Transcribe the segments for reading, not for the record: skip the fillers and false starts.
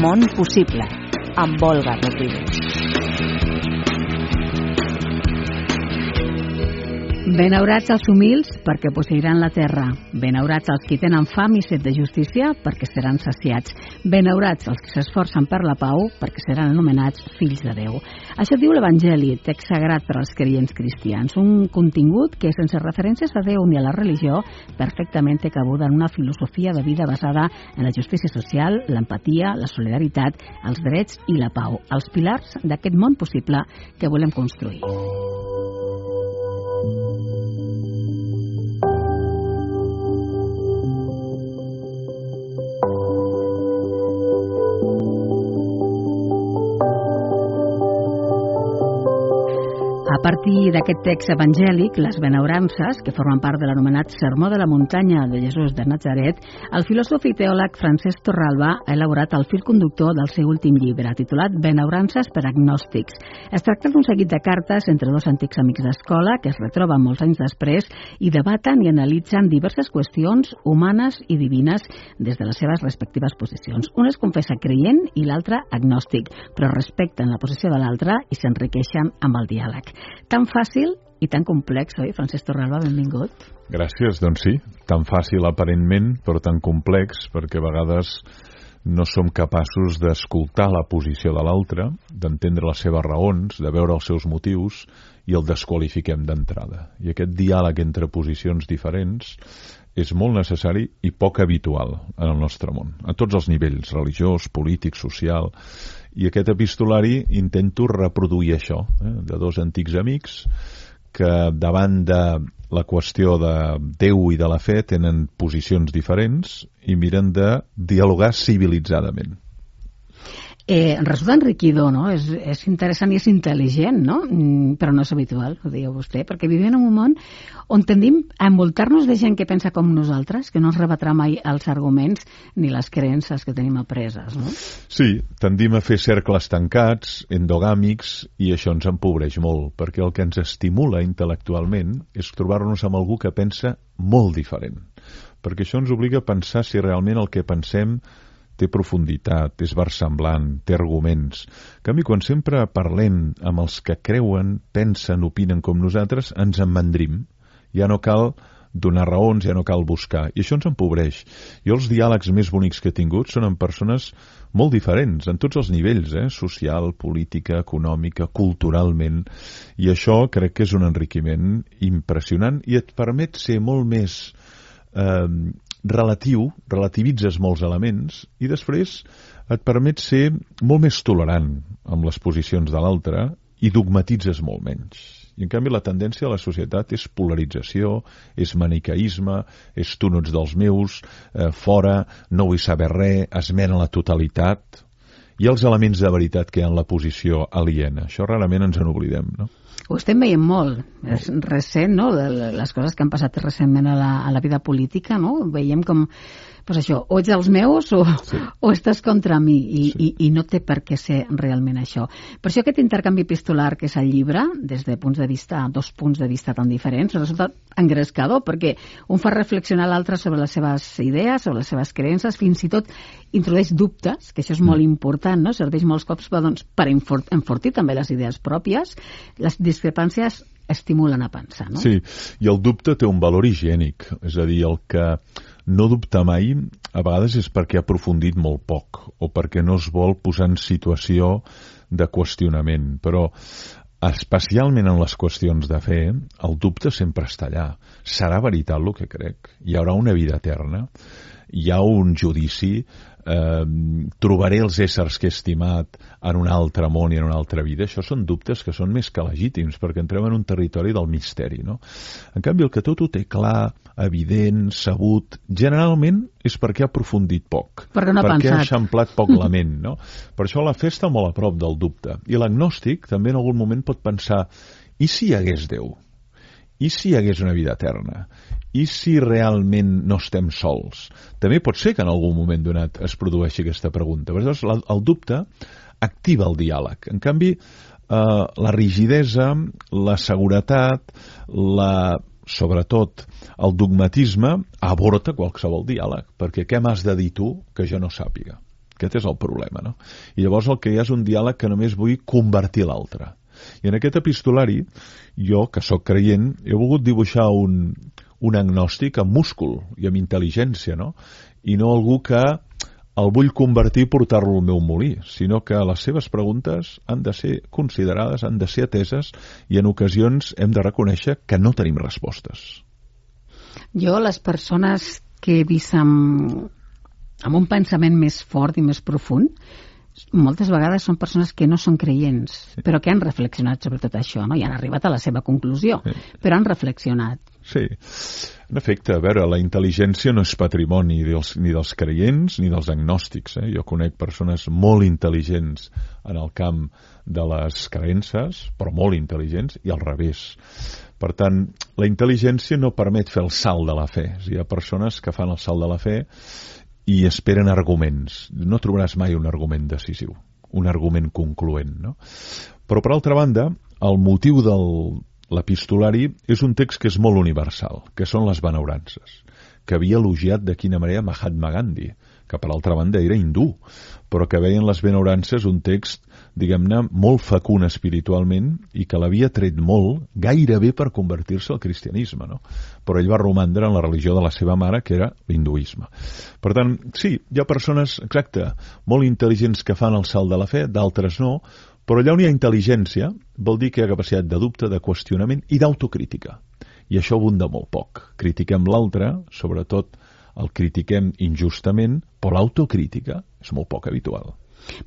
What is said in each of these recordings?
món possible, amb Olga Rodríguez. Benaurats els humils, perquè posseiran la terra. Benaurats els qui tenen fam i set de justícia, perquè seran saciats. Benaurats els que s'esforcen per la pau, perquè seran anomenats fills de Déu. Això diu l'Evangeli, text sagrat per als creients cristians. Un contingut que, sense referències a Déu ni a la religió, perfectament té cabuda en una filosofia de vida basada en la justícia social, l'empatia, la solidaritat, els drets i la pau, els pilars d'aquest món possible que volem construir. A partir d'aquest text evangèlic, les benaurances, que formen part de l'anomenat Sermó de la Muntanya de Jesús de Natzaret, el filòsof i teòleg Francesc Torralba ha elaborat el fil conductor del seu últim llibre, titulat Benaurances per agnòstics. Es tracta d'un seguit de cartes entre dos antics amics d'escola que es retroben molts anys després i debaten i analitzen diverses qüestions humanes i divines des de les seves respectives posicions. Un es confessa creient i l'altre agnòstic, però respecten la posició de l'altre i s'enriqueixen amb el diàleg. Tan fàcil i tan complex, oi? Francesc Torralba, benvingut. Gràcies, doncs sí, tan fàcil aparentment, però tan complex, perquè a vegades no som capaços d'escoltar la posició de l'altre, d'entendre les seves raons, de veure els seus motius, i el desqualifiquem d'entrada. I aquest diàleg entre posicions diferents és molt necessari i poc habitual en el nostre món, a tots els nivells, religiós, polític, social. I aquest epistolari intento reproduir això, de dos antics amics que davant de la qüestió de Déu i de la fe tenen posicions diferents i miren de dialogar civilitzadament. Resulta enriquidor, no? És interessant i és intel·ligent, no? Però no és habitual, ho deia vostè, perquè vivim en un món on tendim a envoltar-nos de gent que pensa com nosaltres, que no ens rebatrà mai els arguments ni les creences que tenim apreses, no? Sí, tendim a fer cercles tancats, endogàmics, i això ens empobreix molt, perquè el que ens estimula intel·lectualment és trobar-nos amb algú que pensa molt diferent, perquè això ens obliga a pensar si realment el que pensem té profunditat, és versemblant, té arguments. En canvi, quan sempre parlem amb els que creuen, pensen, opinen com nosaltres, ens emmandrim. Ja no cal donar raons, ja no cal buscar. I això ens empobreix. Jo els diàlegs més bonics que he tingut són amb persones molt diferents, en tots els nivells, social, política, econòmica, culturalment. I això crec que és un enriquiment impressionant i et permet ser molt més relativitzes molts elements i després et permet ser molt més tolerant amb les posicions de l'altre i dogmatitzes molt menys. I en canvi la tendència a la societat és polarització, és maniqueisme, és tu no ets dels meus, fora, no vull saber res, esmena la totalitat i els elements de veritat que hi ha en la posició aliena. Això rarament ens en oblidem, no? Ho estem veient molt. És recent, no?, les coses que han passat recentment a la vida política, no? Veiem com, pues això, o ets dels meus o estàs contra mi i no té per què ser realment això. Per això aquest intercanvi epistolar que és el llibre, des de dos punts de vista tan diferents, resulta engrescador, perquè un fa reflexionar l'altre sobre les seves idees, sobre les seves creences, fins i tot introdueix dubtes, que això és molt important, no? Serveix molts cops per enfortir també les idees pròpies. Les discrepàncies estimulen a pensar, no? Sí, i el dubte té un valor higiènic, és a dir, el que no dubta mai a vegades és perquè ha aprofundit molt poc o perquè no es vol posar en situació de qüestionament, però especialment en les qüestions de fe, el dubte sempre està allà. Serà veritat el que crec? Hi haurà una vida eterna? Hi ha un judici? Trobaré els éssers que he estimat en un altre món i en una altra vida? Això són dubtes que són més que legítims, perquè entrem en un territori del misteri, no? En canvi, el que tot ho té clar, evident, sabut, generalment és perquè ha aprofundit poc, perquè ha eixamplat poc la ment, no? Per això la fe està molt a prop del dubte. I l'agnòstic també en algun moment pot pensar, i si hi hagués Déu? I si hi hagués una vida eterna? I si realment no estem sols? També pot ser que en algun moment donat es produeixi aquesta pregunta. Llavors, el dubte activa el diàleg. En canvi, la rigidesa, la seguretat, sobretot el dogmatisme, aborta qualsevol diàleg. Perquè què m'has de dir tu que jo no sàpiga? Aquest és el problema, no? I llavors el que hi ha és un diàleg que només vull convertir l'altre. I en aquest epistolari, jo, que sóc creient, he volgut dibuixar un agnòstic amb múscul i amb intel·ligència, no? I no algú que el vull convertir i portar-lo al meu molí, sinó que les seves preguntes han de ser considerades, han de ser ateses i en ocasions hem de reconèixer que no tenim respostes. Jo, les persones que he vist amb un pensament més fort i més profund, moltes vegades són persones que no són creients, però que han reflexionat sobre tot això, no? I han arribat a la seva conclusió, però han reflexionat. Sí, en efecte, a veure, la intel·ligència no és patrimoni ni dels creients ni dels agnòstics. Jo conec persones molt intel·ligents en el camp de les creences, però molt intel·ligents, i al revés. Per tant, la intel·ligència no permet fer el salt de la fe. Hi ha persones que fan el salt de la fe i esperen arguments. No trobaràs mai un argument decisiu, un argument concloent, no? Però, per altra banda, el motiu de l'epistolari és un text que és molt universal, que són les benaurances, que havia elogiat de quina manera Mahatma Gandhi, que per altra banda era hindú, però que veien les benaurances un text, diguem-ne, molt fecund espiritualment i que l'havia tret molt, gairebé per convertir-se al cristianisme, no? Però ell va romandre en la religió de la seva mare, que era l'hinduisme. Per tant, sí, hi ha persones, exacte, molt intel·ligents que fan el salt de la fe, d'altres no, però allà on hi ha intel·ligència vol dir que hi ha capacitat de dubte, de qüestionament i d'autocrítica. I això abunda molt poc. Critiquem l'altre, sobretot el critiquem injustament, però l'autocrítica és molt poc habitual.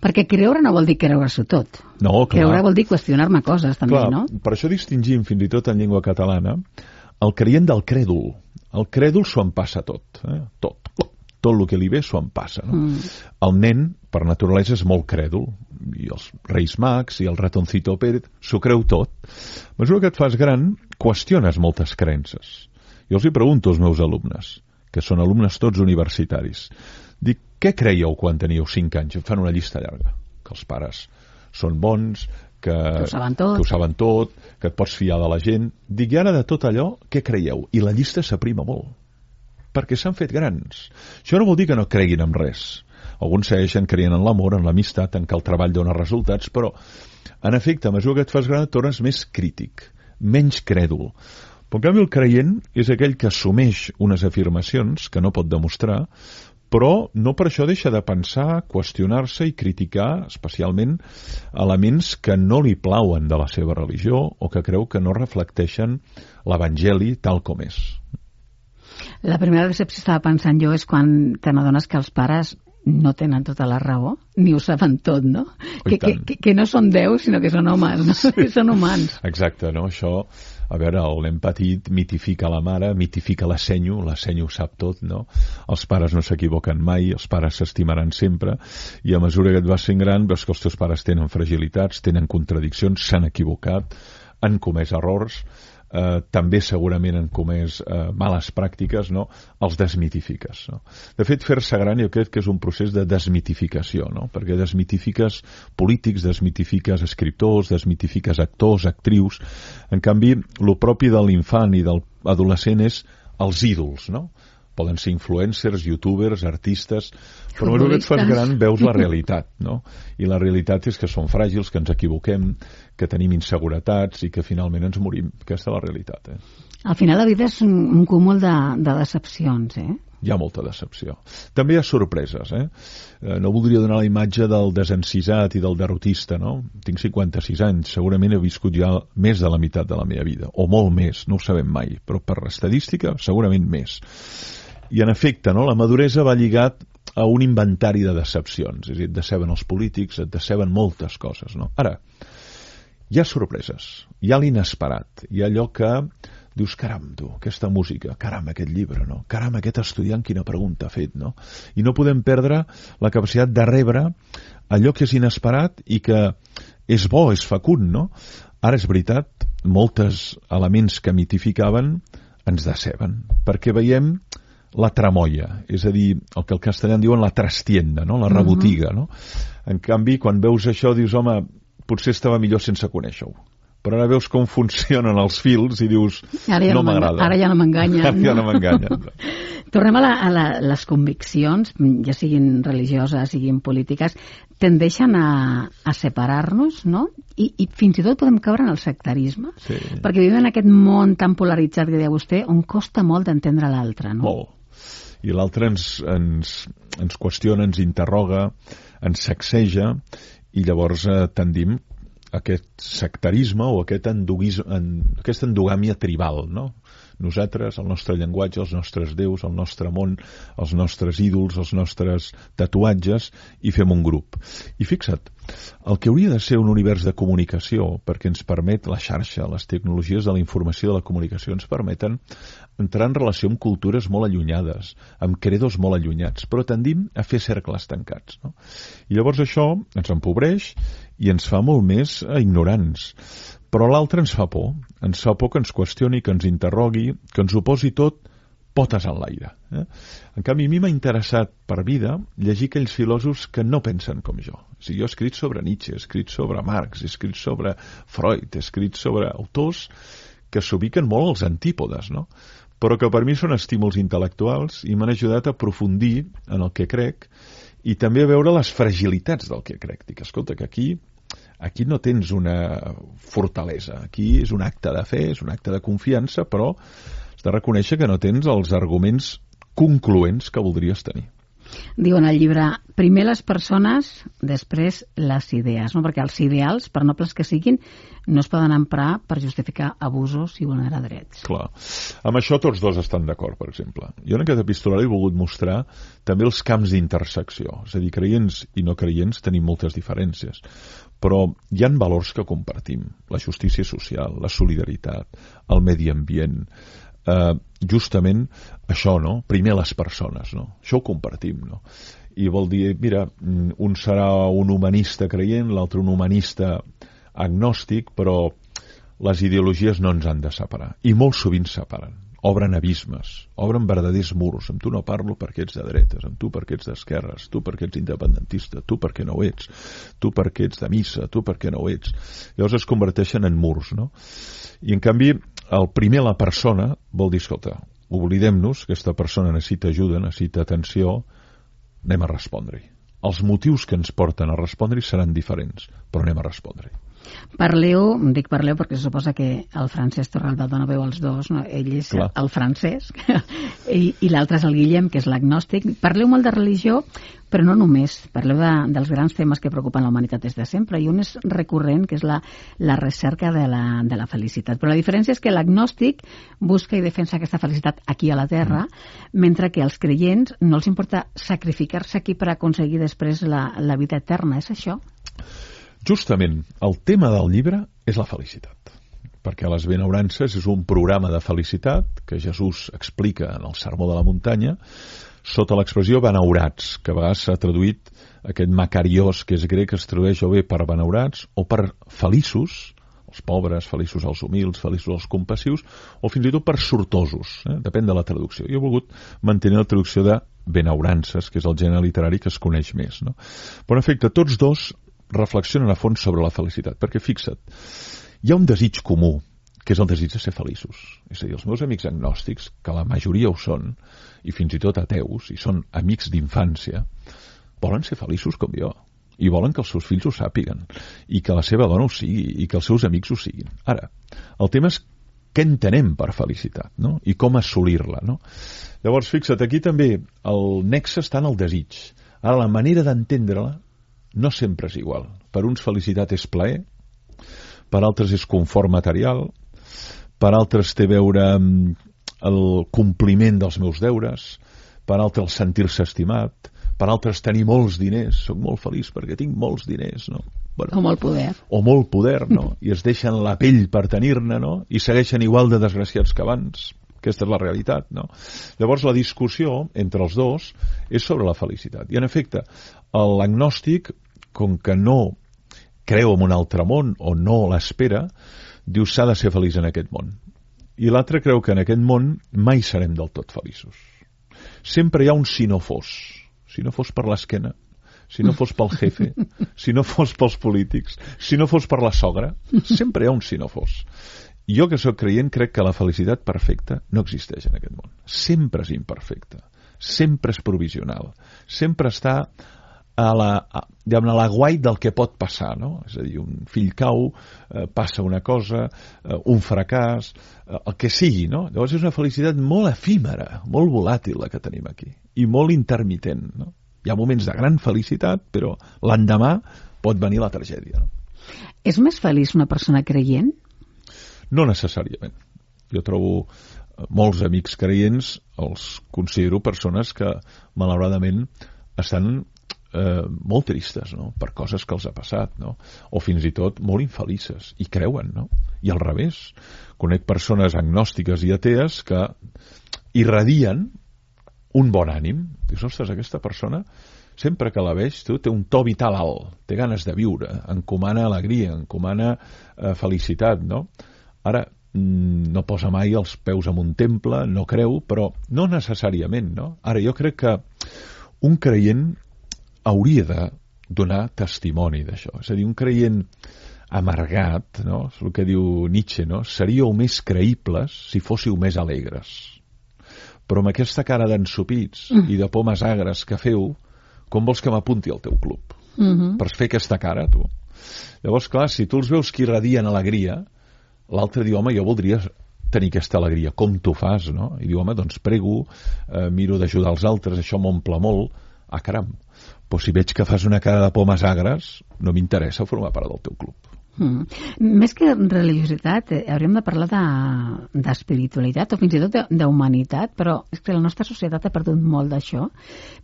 Perquè creure no vol dir creure-s'ho tot. No, clar. Creure vol dir qüestionar-me coses, també, clar, no? Per això distingim, fins i tot en llengua catalana, el creient del crèdul. El crèdul s'ho en passa tot. Tot el que li ve s'ho en passa. No? El nen, per naturalesa, és molt crèdul. I els Reis Mags i el ratoncito Pérez s'ho creu tot. A mesura que et fas gran, qüestiones moltes creences. Jo els hi pregunto als meus alumnes, que són alumnes tots universitaris. Dic, què creieu quan teníeu 5 anys? Em fan una llista llarga. Que els pares són bons, que ho saben tot, que et pots fiar de la gent. Dic, i ara de tot allò, què creieu? I la llista s'aprima molt, perquè s'han fet grans. Això no vol dir que no creguin en res. Alguns segueixen creient en l'amor, en l'amistat, en que el treball dona resultats, però, en efecte, a mesura que et fas gran, et tornes més crític, menys crèdul. Però, en canvi, el creient és aquell que assumeix unes afirmacions que no pot demostrar, però no per això deixa de pensar, qüestionar-se i criticar, especialment, elements que no li plauen de la seva religió o que creu que no reflecteixen l'Evangeli tal com és. La primera decepció, estava pensant jo, és quan te n'adones que els pares no tenen tota la raó, ni ho saben tot, no? Que no són déus, sinó que són homes, no? Sí. Que són humans. Exacte, no? Això, a veure, l'hem patit, mitifica la mare, mitifica la senyo ho sap tot, no? Els pares no s'equivoquen mai, els pares s'estimaran sempre, i a mesura que et vas fent gran, veus que els teus pares tenen fragilitats, tenen contradiccions, s'han equivocat, han comès errors, també segurament han comès males pràctiques, no? Els desmitifiques, no? De fet, fer-se gran jo crec que és un procés de desmitificació, no? Perquè desmitifiques polítics, desmitifiques escriptors, desmitifiques actors, actrius. En canvi, el propi de l'infant i de l'adolescent és els ídols, no? Poden ser influencers, youtubers, artistes, però a mesura que et fas gran veus la realitat, no? I la realitat és que som fràgils, que ens equivoquem, que tenim inseguretats i que finalment ens morim. Aquesta és la realitat, Al final la vida és un cúmul de decepcions, Hi ha molta decepció. També hi ha sorpreses, No voldria donar la imatge del desencisat i del derrotista, no? Tinc 56 anys, segurament he viscut ja més de la meitat de la meva vida, o molt més, no ho sabem mai, però per estadística segurament més. I en efecte, no? La maduresa va lligat a un inventari de decepcions, és a dir, et deceben els polítics, et deceben moltes coses, no? Ara, hi ha sorpreses, hi ha l'inesperat, hi ha allò que dius, caram, tu, aquesta música, caram, aquest llibre, no? Caram, aquest estudiant, quina pregunta ha fet, no? I no podem perdre la capacitat de rebre allò que és inesperat i que és bo, és fecund, no? Ara és veritat, molts elements que mitificaven ens deceben, perquè veiem la tramoia, és a dir, el que al castellà en diuen la trastienda, no? La rebotiga, no? En canvi, quan veus això, dius, home, potser estava millor sense conèixer-ho, però ara veus com funcionen els fils i dius, no m'agrada. Ara ja no m'enganyen. Ara ja no m'enganyen. Tornem a les conviccions, ja siguin religioses, siguin polítiques, tendeixen a separar-nos, no? I fins i tot podem caure en el sectarisme, sí. Perquè vivim en aquest món tan polaritzat que deia vostè, on costa molt d'entendre l'altre, no? Molt. I l'altre ens qüestiona, ens interroga, ens sacseja, i llavors tendim a aquest sectarisme o aquesta endogàmia tribal, no? Nosaltres, el nostre llenguatge, els nostres déus, el nostre món, els nostres ídols, els nostres tatuatges, i fem un grup. I fixa't, el que hauria de ser un univers de comunicació, perquè ens permet la xarxa, les tecnologies de la informació de la comunicació ens permeten entrar en relació amb cultures molt allunyades, amb credos molt allunyats, però tendim a fer cercles tancats, no? I llavors això ens empobreix i ens fa molt més ignorants. Però l'altre ens fa por que ens qüestioni, que ens interrogui, que ens ho posi tot potes en l'aire. En canvi, a mi m'ha interessat per vida llegir aquells filòsofs que no pensen com jo. O sigui, jo he escrit sobre Nietzsche, he escrit sobre Marx, he escrit sobre Freud, he escrit sobre autors que s'ubiquen molt als antípodes, no? Però que per mi són estímuls intel·lectuals i m'han ajudat a aprofundir en el que crec i també a veure les fragilitats del que crec. Dic, escolta, que aquí no tens una fortalesa, aquí és un acte de fe, és un acte de confiança, però has de reconèixer que no tens els arguments concloents que voldries tenir. Diu en el llibre, primer les persones, després les idees, no? Perquè els ideals, per nobles que siguin, no es poden emprar per justificar abusos i vulnerar drets. Clar. Amb això tots dos estan d'acord, per exemple. Jo en aquest epistolari he volgut mostrar també els camps d'intersecció. És a dir, creients i no creients tenim moltes diferències, però hi ha valors que compartim. La justícia social, la solidaritat, el medi ambient, justament això, no? Primer les persones, no? Això ho compartim, no? I vol dir, mira, un serà un humanista creient, l'altre un humanista agnòstic, però les ideologies no ens han de separar. I molt sovint separen. Obren abismes, obren verdaders murs. Amb tu no parlo perquè ets de dretes, amb tu perquè ets d'esquerres, tu perquè ets independentista, tu perquè no ho ets, tu perquè ets de missa, tu perquè no ho ets. Llavors es converteixen en murs, no? I en canvi, el primer, la persona, vol dir, escolta, oblidem-nos, aquesta persona necessita ajuda, necessita atenció, anem a respondre-hi. Els motius que ens porten a respondre-hi seran diferents, però anem a respondre-hi. Parleu, dic parleu perquè se suposa que el Francesc Torralba dona veu als dos, no? Ell és el Francesc i l'altre és el Guillem, que és l'agnòstic. Parleu molt de religió, però no només. Parleu dels grans temes que preocupen la humanitat des de sempre, i un és recurrent, que és la recerca de la felicitat. Però la diferència és que l'agnòstic busca i defensa aquesta felicitat aquí a la Terra, mentre que als creients no els importa sacrificar-se aquí per aconseguir després la vida eterna. És això? Justament, el tema del llibre és la felicitat, perquè les benaurances és un programa de felicitat que Jesús explica en el Sermó de la Muntanya sota l'expressió benaurats, que a vegades s'ha traduït aquest macariós, que és grec, que es tradueix o bé per benaurats o per feliços, els pobres, feliços els humils, feliços els compassius, o fins i tot per sortosos, depèn de la traducció. Jo he volgut mantenir la traducció de benaurances, que és el gènere literari que es coneix més, no? Però en efecte, tots dos reflexionen a fons sobre la felicitat, perquè fixa't, hi ha un desig comú, que és el desig de ser feliços. És a dir, els meus amics agnòstics, que la majoria ho són, i fins i tot ateus, i són amics d'infància, volen ser feliços com jo, i volen que els seus fills ho sàpiguen, i que la seva dona ho sigui, i que els seus amics ho siguin. Ara, el tema és què entenem per felicitat, no? I com assolir-la, no? Llavors, fixa't, aquí també el nexe està en el desig. Ara, la manera d'entendre-la no sempre és igual. Per uns felicitat és plaer, per altres és confort material, per altres té a veure amb el compliment dels meus deures, per altres sentir-se estimat, per altres tenir molts diners, soc molt feliç perquè tinc molts diners, no? Bueno, o molt poder. O molt poder, no? I es deixen la pell per tenir-ne, no? I segueixen igual de desgraciats que abans. Aquesta és la realitat, no? Llavors la discussió entre els dos és sobre la felicitat. I en efecte, l'agnòstic, com que no creu en un altre món o no l'espera, diu s'ha de ser feliç en aquest món. I l'altre creu que en aquest món mai serem del tot feliços. Sempre hi ha un si no fos. Si no fos per l'esquena, si no fos pel jefe, si no fos pels polítics, si no fos per la sogra, sempre hi ha un si no fos. Jo, que sóc creient, crec que la felicitat perfecta no existeix en aquest món. Sempre és imperfecta, sempre és provisional, sempre està a l'aguait del que pot passar, no? És a dir, un fill cau, passa una cosa, un fracàs, el que sigui, no? Llavors és una felicitat molt efímera, molt volàtil la que tenim aquí, i molt intermitent, no? Hi ha moments de gran felicitat, però l'endemà pot venir la tragèdia, no? És més feliç una persona creient? No necessàriament. Jo trobo molts amics creients, els considero persones que, malauradament, estan molt tristes, no? Per coses que els ha passat, no? O fins i tot molt infelices, i creuen, no? I al revés, conec persones agnòstiques i atees que irradien un bon ànim. Dius, ostres, aquesta persona, sempre que la veig, té un to vital alt, té ganes de viure, encomana alegria, encomana felicitat, no? Ara, no posa mai els peus en un temple, no creu, però no necessàriament, no? Ara, jo crec que un creient hauria de donar testimoni d'això. És a dir, un creient amargat, no? És el que diu Nietzsche, no? Seríeu més creïbles si fóssiu més alegres. Però amb aquesta cara d'ensopits i de pomes agres que feu, com vols que m'apunti al teu club? Per fer aquesta cara, tu. Llavors, clar, si tu els veus que irradien alegria, l'altre diu, home, jo voldria tenir aquesta alegria. Com tu fas, no? I diu, home, doncs prego, miro d'ajudar els altres, això m'omple molt. Ah, caram, però si veig que fas una cara de pomes agres, no m'interessa formar part del teu club. Més que religiositat, hauríem de parlar d'espiritualitat o fins i tot d'humanitat, però és que la nostra societat ha perdut molt d'això,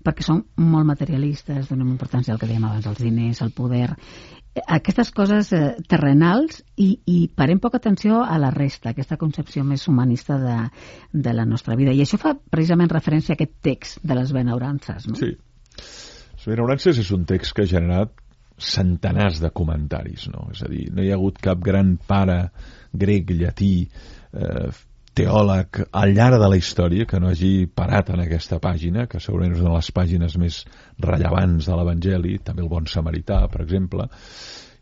perquè som molt materialistes, donem importància al que dèiem abans, als diners, al poder, aquestes coses terrenals, i parem poca atenció a la resta, aquesta concepció més humanista de la nostra vida. I això fa precisament referència a aquest text de les benaurances, no? Sí. Les benaurances és un text que ha generat centenars de comentaris, no? És a dir, no hi ha hagut cap gran pare grec, llatí, teòleg al llarg de la història que no hagi parat en aquesta pàgina, que segurament és una de les pàgines més rellevants de l'Evangeli, també el bon samarità, per exemple,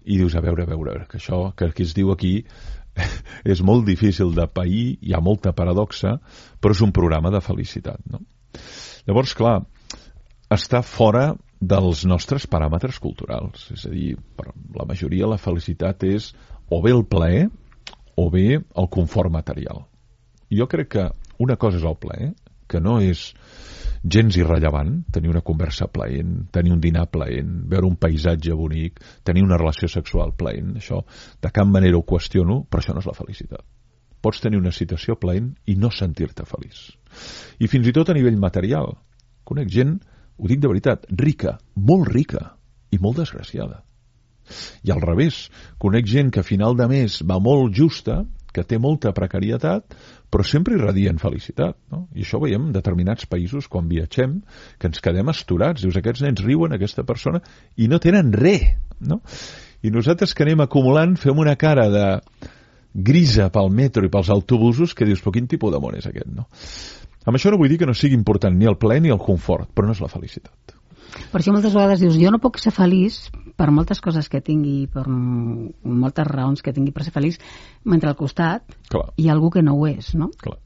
i dius, a veure, que això que es diu aquí és molt difícil de pair, hi ha molta paradoxa, però és un programa de felicitat, no? Llavors, clar, està fora dels nostres paràmetres culturals. És a dir, per la majoria la felicitat és o bé el plaer o bé el confort material. Jo crec que una cosa és el plaer, que no és gens irrellevant, tenir una conversa plaent, tenir un dinar plaent, veure un paisatge bonic, tenir una relació sexual plaent. Això de cap manera ho qüestiono, però això no és la felicitat. Pots tenir una situació plaent i no sentir-te feliç. I fins i tot a nivell material. Conec gent, ho dic de veritat, rica, molt rica i molt desgraciada. I al revés, conec gent que a final de mes va molt justa, que té molta precarietat, però sempre irradien felicitat, no? I això ho veiem en determinats països quan viatgem, que ens quedem astorats. Dius, aquests nens riuen, aquesta persona, i no tenen res, no? I nosaltres que anem acumulant fem una cara de grisa pel metro i pels autobusos que dius, però quin tipus de món és aquest, no? Amb això no vull dir que no sigui important ni el plaer ni el confort, però no és la felicitat. Per això moltes vegades dius, jo no puc ser feliç per moltes coses que tingui, per moltes raons que tingui per ser feliç, mentre al costat hi ha algú que no ho és, no? Clar.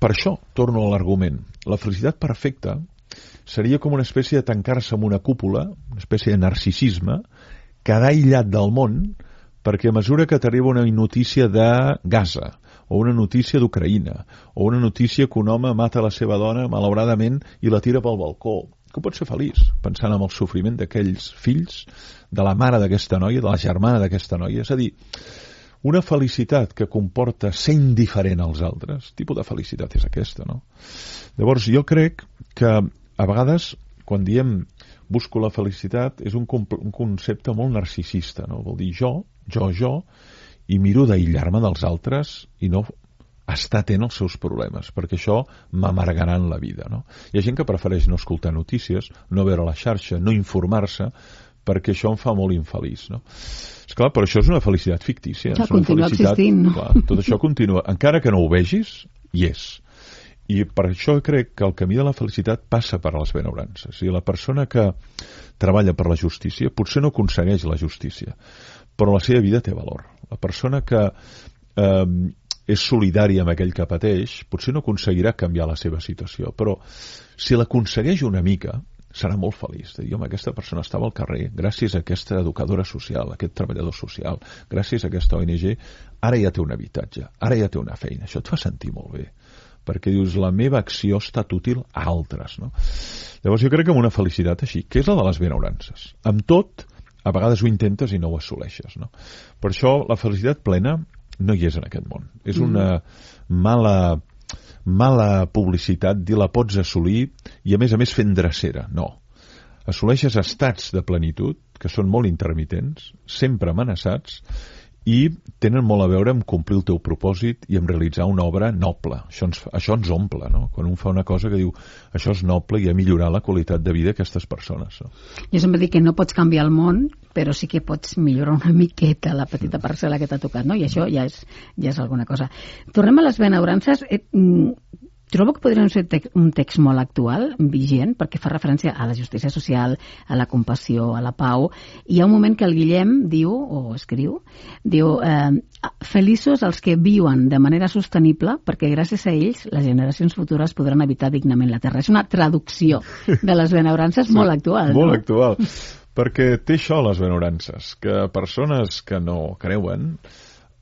Per això torno a l'argument. La felicitat perfecta seria com una espècie de tancar-se en una cúpula, una espècie de narcisisme, quedar aïllat del món, perquè a mesura que t'arriba una notícia de Gaza, o una notícia d'Ucraïna, o una notícia que un home mata la seva dona, malauradament, i la tira pel balcó, que pots ser feliç pensant en el sofriment d'aquells fills, de la mare d'aquesta noia, de la germana d'aquesta noia. És a dir, una felicitat que comporta ser indiferent als altres, tipus de felicitat és aquesta, no? Llavors, jo crec que a vegades, quan diem busco la felicitat, és un concepte molt narcisista, no? Vol dir jo, i miro d'aïllar-me dels altres i no estar atent als seus problemes, perquè això m'amargarà en la vida, no? Hi ha gent que prefereix no escoltar notícies, no veure la xarxa, no informar-se, perquè això em fa molt infeliç, no? Esclar, però això és una felicitat fictícia. Ja continua existint, no? Clar, tot això continua. Encara que no ho vegis, hi és. I per això crec que el camí de la felicitat passa per les benaurances. I la persona que treballa per la justícia potser no aconsegueix la justícia, però la seva vida té valor. La persona que és solidària amb aquell que pateix potser no aconseguirà canviar la seva situació, però si l'aconsegueix una mica serà molt feliç. De dir, home, aquesta persona estava al carrer, gràcies a aquesta educadora social, a aquest treballador social, gràcies a aquesta ONG, ara ja té un habitatge, ara ja té una feina. Això et fa sentir molt bé, perquè dius, la meva acció ha estat útil a altres, no? Llavors jo crec que amb una felicitat així, que és la de les benaurances. Amb tot, a vegades ho intentes i no ho assoleixes, no? Per això la felicitat plena no hi és en aquest món. És una mala publicitat dir la pots assolir i a més fent drecera. No. Assoleixes estats de plenitud que són molt intermitents, sempre amenaçats, i tenen molt a veure amb complir el teu propòsit i amb realitzar una obra noble. Això ens omple, no? Quan un fa una cosa que diu això és noble i ha millorat la qualitat de vida d'aquestes persones. No? Jo sempre dic que no pots canviar el món, però sí que pots millorar una miqueta la petita parcel·la que t'ha tocat, no? I això ja és alguna cosa. Tornem a les benaurances. Trobo que podria ser un text molt actual, vigent, perquè fa referència a la justícia social, a la compassió, a la pau. I hi ha un moment que el Guillem diu, o escriu, feliços els que viuen de manera sostenible, perquè gràcies a ells les generacions futures podran habitar dignament la Terra. És una traducció de les benaurances molt actual, no? Molt actual, perquè té això, les benaurances, que persones que no creuen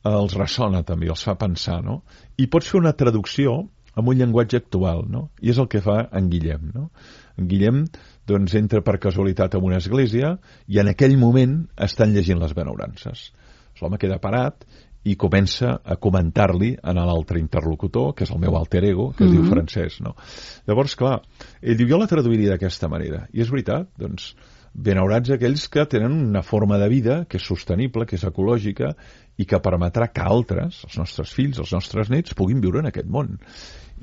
els ressona també, els fa pensar, no? I pots fer una traducció amb un llenguatge actual, no? I és el que fa en Guillem, no? En Guillem, doncs, entra per casualitat en una església i en aquell moment estan llegint les benaurances. L'home queda parat i comença a comentar-li a l'altre interlocutor, que és el meu alter ego, que es diu Francesc, no? Llavors, clar, ell diu, jo la traduiria d'aquesta manera. I és veritat, doncs, benaurats aquells que tenen una forma de vida que és sostenible, que és ecològica i que permetrà que altres, els nostres fills, els nostres nets, puguin viure en aquest món.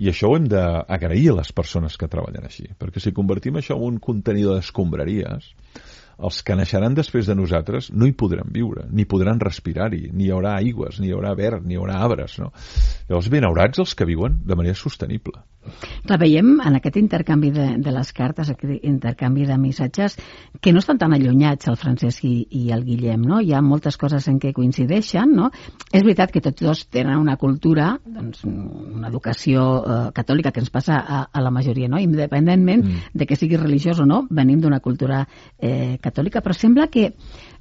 I això ho hem d'agrair a les persones que treballen així, perquè si convertim això en un contenidor d'escombraries, els que naixeran després de nosaltres no hi podran viure, ni podran respirar-hi, ni hi haurà aigües, ni hi haurà verd, ni hi haurà arbres, no? Llavors, benaurats els que viuen de manera sostenible. Clar, veiem en aquest intercanvi de les cartes, aquest intercanvi de missatges, que no estan tan allunyats el Francesc i el Guillem, no? Hi ha moltes coses en què coincideixen, no? És veritat que tots dos tenen una cultura, doncs, una educació catòlica que ens passa a la majoria, no? Independentment de que sigui religiós o no, venim d'una cultura catòlica, però sembla que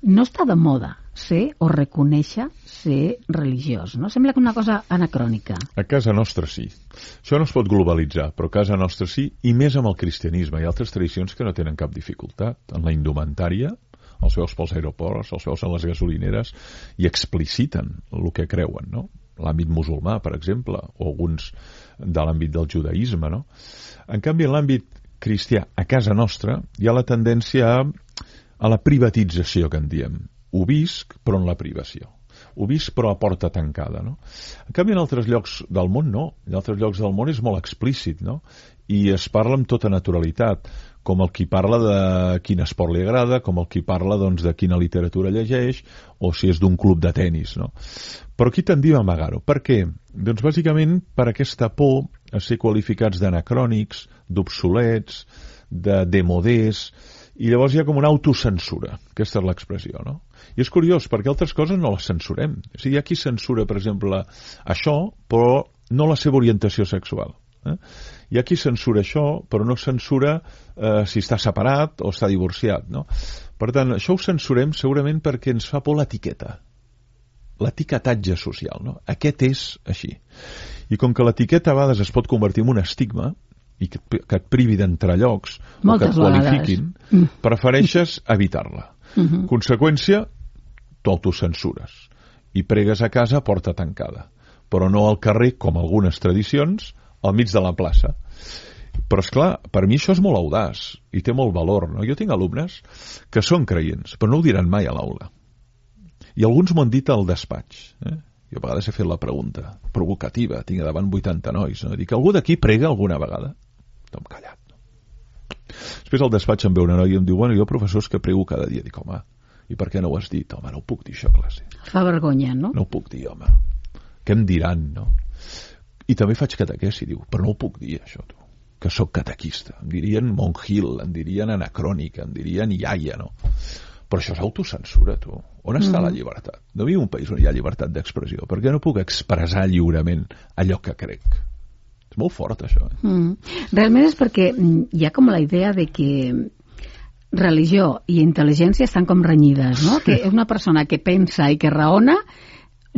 no està de moda ser o reconèixer ser religiós, no? Sembla que una cosa anacrònica. A casa nostra sí. Això no es pot globalitzar, però a casa nostra sí, i més amb el cristianisme. Hi ha altres tradicions que no tenen cap dificultat. En la indumentària, els veus pels aeroports, els veus a les gasolineres, i expliciten el que creuen, no? L'àmbit musulmà, per exemple, o alguns de l'àmbit del judaïsme, no? En canvi, en l'àmbit cristià, a casa nostra, hi ha la tendència a la privatització, que en diem. Ho visc, però en la privació. Ho visc, però a porta tancada, no? En canvi, en altres llocs del món, no. En altres llocs del món és molt explícit, no? I es parla amb tota naturalitat, com el qui parla de quin esport li agrada, com el qui parla, doncs, de quina literatura llegeix, o si és d'un club de tennis, no? Però aquí tendim a amagar-ho. Per què? Doncs, bàsicament, per aquesta por a ser qualificats d'anacrònics, d'obsolets, de demodés, i llavors hi ha com una autocensura. Aquesta és l'expressió, no? I és curiós, perquè altres coses no les censurem. O sigui, hi ha qui censura, per exemple, això, però no la seva orientació sexual. Hi ha qui censura això, però no censura si està separat o està divorciat, no? Per tant, això ho censurem segurament perquè ens fa por l'etiqueta. L'etiquetatge social, no? Aquest és així. I com que l'etiqueta a vegades es pot convertir en un estigma, i que et privi d'entrar llocs o que et qualifiquin, prefereixes evitar-la. Conseqüència, t'autocensures i pregues a casa a porta tancada, però no al carrer, com algunes tradicions, al mig de la plaça. Però, esclar, per mi això és molt audaç i té molt valor, no? Jo tinc alumnes que són creients, però no ho diran mai a l'aula. I alguns m'ho han dit al despatx, Jo a vegades he fet la pregunta provocativa, tinc davant 80 nois, no? Dic, algú d'aquí prega alguna vegada? Tom callat. Després al despatx em ve una noia i em diu, bueno, jo professors que prego cada dia. Dic, home, i per què no ho has dit? Home, no ho puc dir això a classe. Fa vergonya, no? No ho puc dir, home. Què em diran, no? I també faig catequesi, diu, però no ho puc dir, això, tu, que sóc catequista. Em dirien monjil, em dirien anacrònica, em dirien iaia, no? Però això és autocensura, tu. On està la llibertat? No viu un país on hi ha llibertat d'expressió. Per què no puc expressar lliurement allò que crec? És molt fort, això. Realment és perquè hi ha com la idea de que religió i intel·ligència estan com renyides, no? Que una persona que pensa i que raona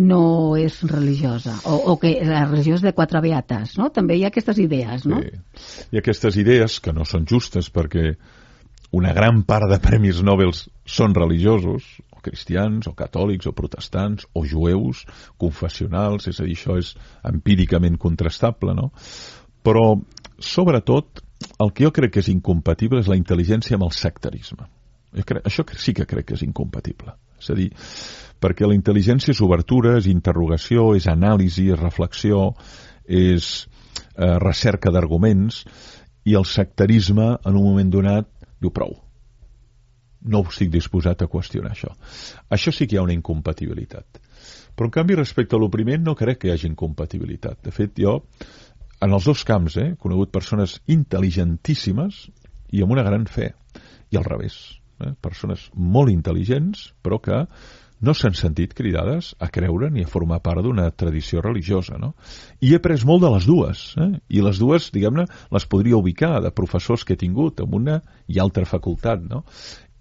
no és religiosa, o que la religió és de 4 beates, no? També hi ha aquestes idees, no? Sí. Hi ha aquestes idees que no són justes perquè una gran part de premis Nobel són religiosos, o cristians, o catòlics, o protestants, o jueus, confessionals, és a dir, això és empíricament contrastable, no? Però, sobretot, el que jo crec que és incompatible és la intel·ligència amb el sectarisme. Això sí que crec que és incompatible. És a dir, perquè la intel·ligència és obertura, és interrogació, és anàlisi, és reflexió, és recerca d'arguments, i el sectarisme, en un moment donat, diu prou. No estic disposat a qüestionar això. Això sí que hi ha una incompatibilitat. Però, en canvi, respecte a lo primer, no crec que hi hagi incompatibilitat. De fet, jo, en els dos camps, he conegut persones intel·ligentíssimes i amb una gran fe. I al revés. Persones molt intel·ligents, però que no s'han sentit cridades a creure ni a formar part d'una tradició religiosa, no? I he après molt de les dues, i les dues, diguem-ne, les podria ubicar de professors que he tingut en una i altra facultat, no?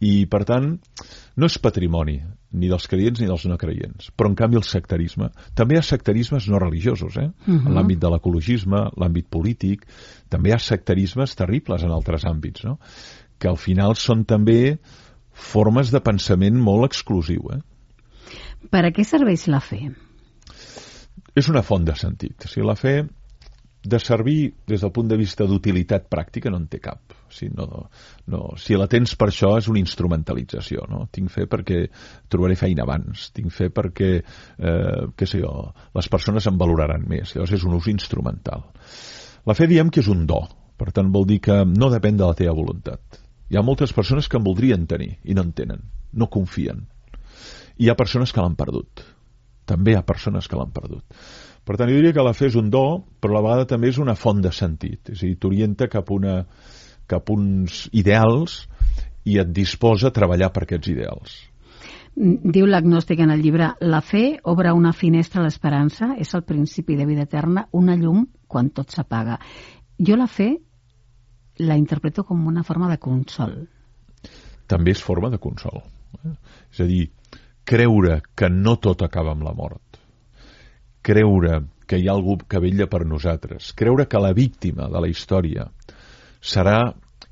I, per tant, no és patrimoni ni dels creients ni dels no creients, però, en canvi, el sectarisme. També hi ha sectarismes no religiosos, en l'àmbit de l'ecologisme, l'àmbit polític, també hi ha sectarismes terribles en altres àmbits, no? Que al final són també formes de pensament molt exclusiu. Per a què serveix la fe? És una font de sentit. O sigui, la fe, de servir des del punt de vista d'utilitat pràctica, no en té cap. O sigui, si la tens per això és una instrumentalització. No? Tinc fe perquè trobaré feina abans. Tinc fe perquè, les persones em valoraran més. Llavors és un ús instrumental. La fe diem que és un do. Per tant, vol dir que no depèn de la teva voluntat. Hi ha moltes persones que en voldrien tenir i no en tenen, no confien. I hi ha persones que l'han perdut. També hi ha persones que l'han perdut. Per tant, jo diria que la fe és un do, però a la vegada també és una font de sentit. És a dir, t'orienta cap a uns ideals i et disposa a treballar per aquests ideals. Diu l'agnòstic en el llibre, la fe obre una finestra a l'esperança, és el principi de vida eterna, una llum quan tot s'apaga. Jo la fe la interpreto com una forma de consol. També és forma de consol. És a dir, creure que no tot acaba amb la mort. Creure que hi ha algú que vetlla per nosaltres. Creure que la víctima de la història serà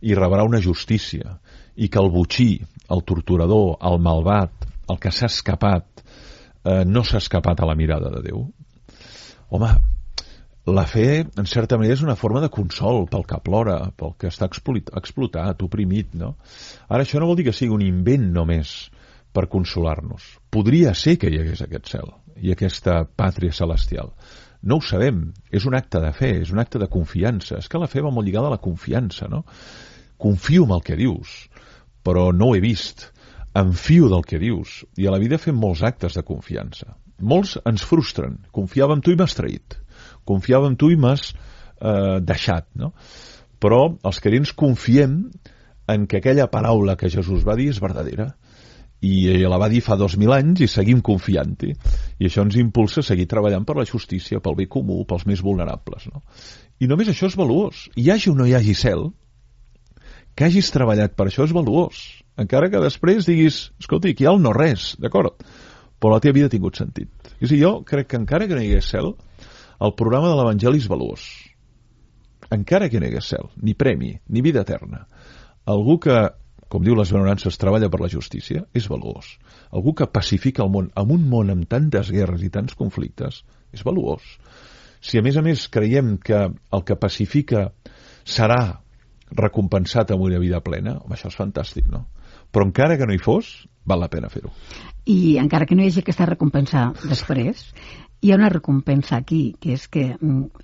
i rebrà una justícia i que el botxí, el torturador, el malvat, el que s'ha escapat, no s'ha escapat a la mirada de Déu. Home, la fe, en certa manera, és una forma de consol pel que plora, pel que està explotat, oprimit, no? Ara, això no vol dir que sigui un invent només per consolar-nos. Podria ser que hi hagués aquest cel i aquesta pàtria celestial. No ho sabem. És un acte de fe, és un acte de confiança. És que la fe va molt lligada a la confiança, no? Confio en el que dius, però no ho he vist. Em fio del que dius. I a la vida fem molts actes de confiança. Molts ens frustren. Confiava en tu i m'has traït. Confiava en tu i m'has deixat, no? Però els creients confiem en que aquella paraula que Jesús va dir és verdadera i la va dir fa 2000 anys i seguim confiant-hi, i això ens impulsa a seguir treballant per la justícia, pel bé comú, pels més vulnerables, no? I només això és valuós. Hi hagi o no hi hagi cel, que hagis treballat per això és valuós, encara que després diguis, escolta, aquí hi ha el no res, d'acord, però la teva vida ha tingut sentit. És a dir, jo crec que encara que no hi hagués cel, el programa de l'Evangeli és valuós. Encara que no hi hagués cel, ni premi, ni vida eterna. Algú que, com diu les benaurances, treballa per la justícia, és valuós. Algú que pacifica el món, en un món amb tantes guerres i tants conflictes, és valuós. Si a més creiem que el que pacifica serà recompensat amb una vida plena, home, això és fantàstic, no? Però encara que no hi fos, val la pena fer-ho. I encara que no hi hagi aquesta recompensa després, hi ha una recompensa aquí, que és que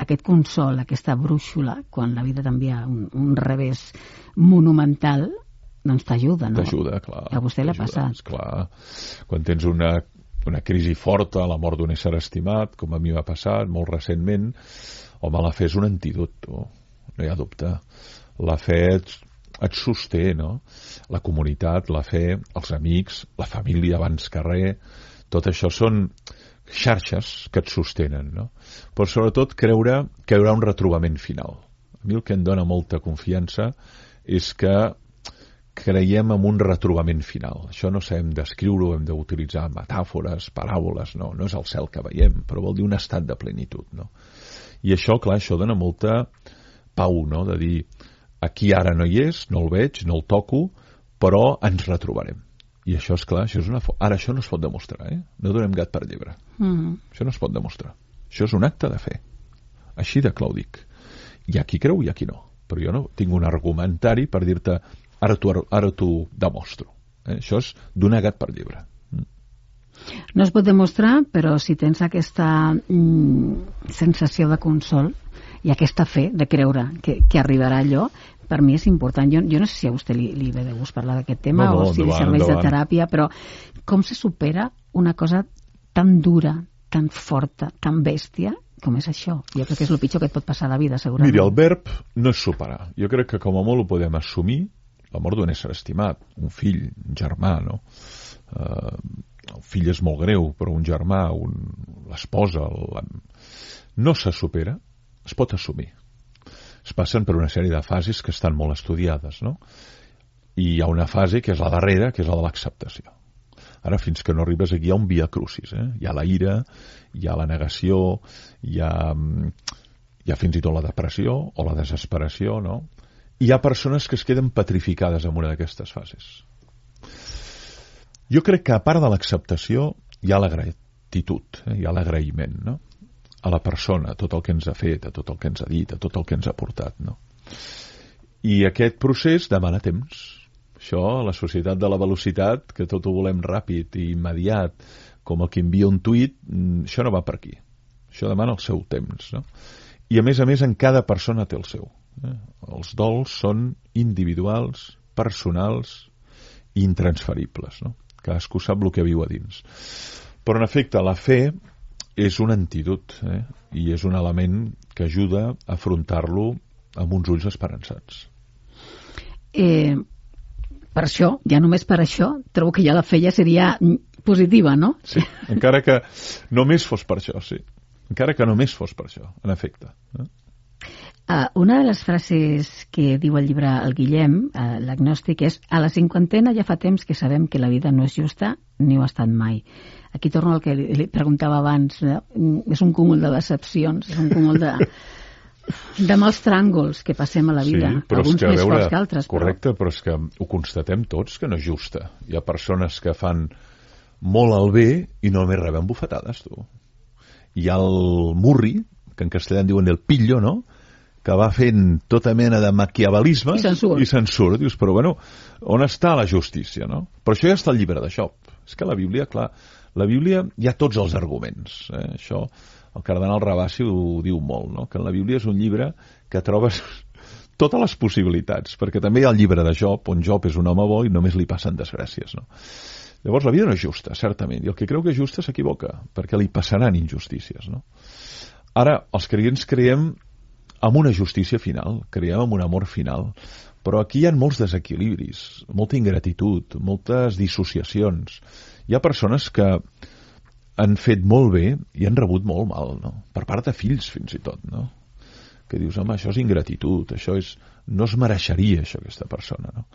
aquest consol, aquesta brúixola, quan la vida t'envia un revés monumental, doncs t'ajuda, no? T'ajuda, clar. A vostè l'ha passat. Clar. Quan tens una una crisi forta, la mort d'un ésser estimat, com a mi m'ha passat molt recentment, home, la fe és un antídot, no hi ha dubte. La fe et sosté, no? La comunitat, la fe, els amics, la família abans que res, tot això són xarxes que et sostenen, no? Però sobretot creure que hi haurà un retrobament final. A mi el que em dona molta confiança és que creiem en un retrobament final. Això no sabem descriure-ho, hem d'utilitzar metàfores, paràboles, no és el cel que veiem, però vol dir un estat de plenitud, no? I això, clar, això dona molta pau, no? De dir, aquí ara no hi és, no el veig, no el toco, però ens retrobarem. I això, és clar, això és ara això no es pot demostrar, No donem gat per llebre. Això no es pot demostrar. Això és un acte de fe. Així de clar ho dic. Hi ha qui creu i hi ha qui no. Però jo no tinc un argumentari per dir-te ara t'ho demostro. Això és donar gat per llebre. No es pot demostrar, però si tens aquesta sensació de consol i aquesta fe de creure que arribarà allò, per mi és important. Jo no sé si a vostè li ve de gust parlar d'aquest tema o si li serveix de teràpia, però com se supera una cosa tan dura, tan forta, tan bèstia com és això? Jo crec que és el pitjor que et pot passar a la vida, segurament. Mira, el verb no és superar. Jo crec que com a molt ho podem assumir, la mort d'un ésser estimat, un fill, un germà, no? El fill és molt greu, però un germà, l'esposa, no se supera, es pot assumir. Es passen per una sèrie de fases que estan molt estudiades, no? I hi ha una fase que és la darrera, que és la de l'acceptació. Ara, fins que no arribes aquí, hi ha un via crucis, Hi ha la ira, hi ha la negació, hi ha fins i tot la depressió o la desesperació, no? Hi ha persones que es queden petrificades en una d'aquestes fases. Jo crec que a part de l'acceptació hi ha la gratitud, hi ha l'agraïment, no? A la persona, a tot el que ens ha fet, a tot el que ens ha dit, a tot el que ens ha portat, no? I aquest procés demana temps. Això, la societat de la velocitat, que tot ho volem ràpid i immediat, com el que envia un tuit, això no va per aquí. Això demana el seu temps, no? I a més, en cada persona té el seu. Els dols són individuals, personals i intransferibles, no? Cadascú sap el que viu a dins. Però, en efecte, la fe és un antídot, i és un element que ajuda a afrontar-lo amb uns ulls esperançats. Per això, ja només per això, trobo que ja la fe ja seria positiva, no? Sí, encara que només fos per això, sí. Encara que només fos per això, en efecte. Una de les frases que diu el llibre El Guillem, l'agnòstic, és: a la cinquantena ja fa temps que sabem que la vida no és justa ni ho ha estat mai. Aquí torno al que li preguntava abans, és un cúmul de decepcions, és un cúmul de mals tràngols que passem a la vida, sí, alguns més forts que altres. Correcte, però és que ho constatem tots que no és justa. Hi ha persones que fan molt el bé i només reben bufetades, tu. Hi ha el murri, que en castellà en diuen el pillo, no?, que va fent tota mena de maquiavelisme i se'n surt. Dius, però bueno, on està la justícia, no? Però això ja està al llibre de Job. És que la Bíblia, clar, la Bíblia hi ha tots els arguments. Això, el cardenal Rabassi ho diu molt, no? Que en la Bíblia és un llibre que trobes totes les possibilitats, perquè també hi ha el llibre de Job, on Job és un home bo i només li passen desgràcies, no? Llavors, la vida no és justa, certament, i el que creu que és justa s'equivoca, perquè li passaran injustícies, no? Ara, els creients creiem amb una justícia final, creiem amb un amor final, però aquí hi ha molts desequilibris, molta ingratitud, moltes dissociacions. Hi ha persones que han fet molt bé i han rebut molt mal, no? Per part de fills, fins i tot, no? Que dius, home, això és ingratitud, això és... no es mereixeria, això, aquesta persona, no?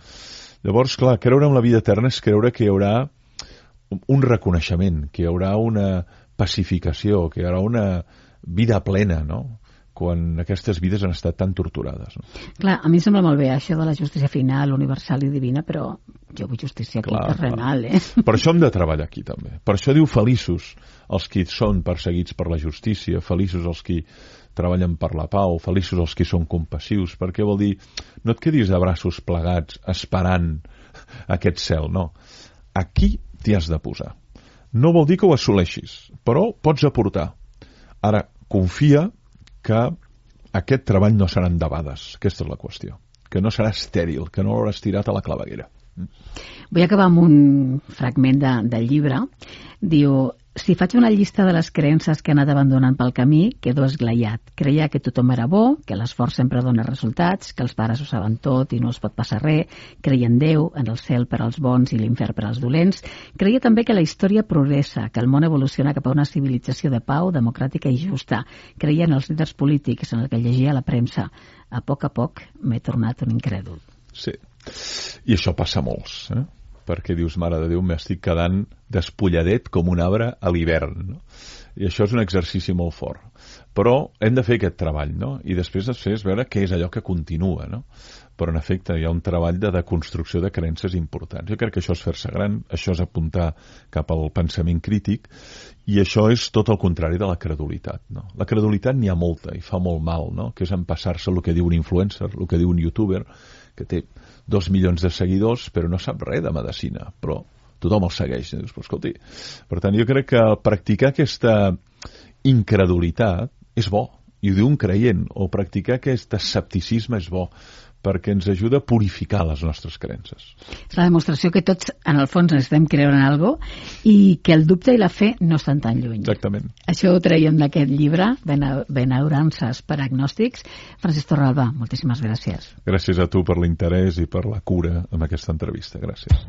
Llavors, clar, creure en la vida eterna és creure que hi haurà un reconeixement, que hi haurà una pacificació, que hi haurà una vida plena, no?, quan aquestes vides han estat tan torturades, no? Clar, a mi em sembla molt bé això de la justícia final, universal i divina, però jo vull justícia aquí terrenal, Per això hem de treballar aquí, també. Per això diu feliços els qui són perseguits per la justícia, feliços els qui treballen per la pau, feliços els qui són compassius, perquè vol dir, no et quedis de braços plegats esperant aquest cel, no. Aquí t'hi has de posar. No vol dir que ho assoleixis, però pots aportar. Ara, confia que aquest treball no serà endebades. Aquesta és la qüestió. Que no serà estèril, que no l'hauràs tirat a la claveguera. Vull acabar amb un fragment del llibre. Diu: si faig una llista de les creences que he anat abandonant pel camí, quedo esglaiat. Creia que tothom era bo, que l'esforç sempre dona resultats, que els pares ho saben tot i no es pot passar res. Creia en Déu, en el cel per als bons i l'infern per als dolents. Creia també que la història progressa, que el món evoluciona cap a una civilització de pau, democràtica i justa. Creia en els líders polítics, en el que llegia a la premsa. A poc m'he tornat un incrèdul. Sí, i això passa a molts, perquè dius, mare de Déu, m'estic quedant despulladet com un arbre a l'hivern, no? I això és un exercici molt fort. Però hem de fer aquest treball, no? I després veure què és allò que continua, no? Però, en efecte, hi ha un treball de construcció de creences importants. Jo crec que això és fer-se gran, això és apuntar cap al pensament crític, i això és tot el contrari de la credulitat, no? La credulitat n'hi ha molta i fa molt mal, no? Que és empassar-se el que diu un influencer, el que diu un youtuber, que té 2 milions de seguidors però no sap res de medicina, però tothom el segueix. Dius, però escolti, per tant, jo crec que practicar aquesta incredulitat és bo, i ho diu un creient, o practicar aquest escepticisme és bo, perquè ens ajuda a purificar les nostres creences. És la demostració que tots, en el fons, necessitem creure en alguna cosa i que el dubte i la fe no estan tan lluny. Exactament. Això ho traiem d'aquest llibre, Benaurances per agnòstics. Francesc Torralba, moltíssimes gràcies. Gràcies a tu per l'interès i per la cura amb aquesta entrevista. Gràcies.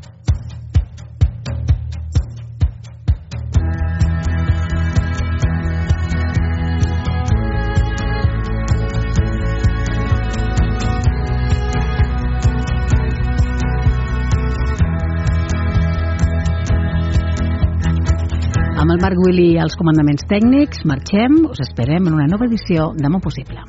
Amb el Marc Willi als comandaments tècnics, marxem, us esperem en una nova edició de Món Possible.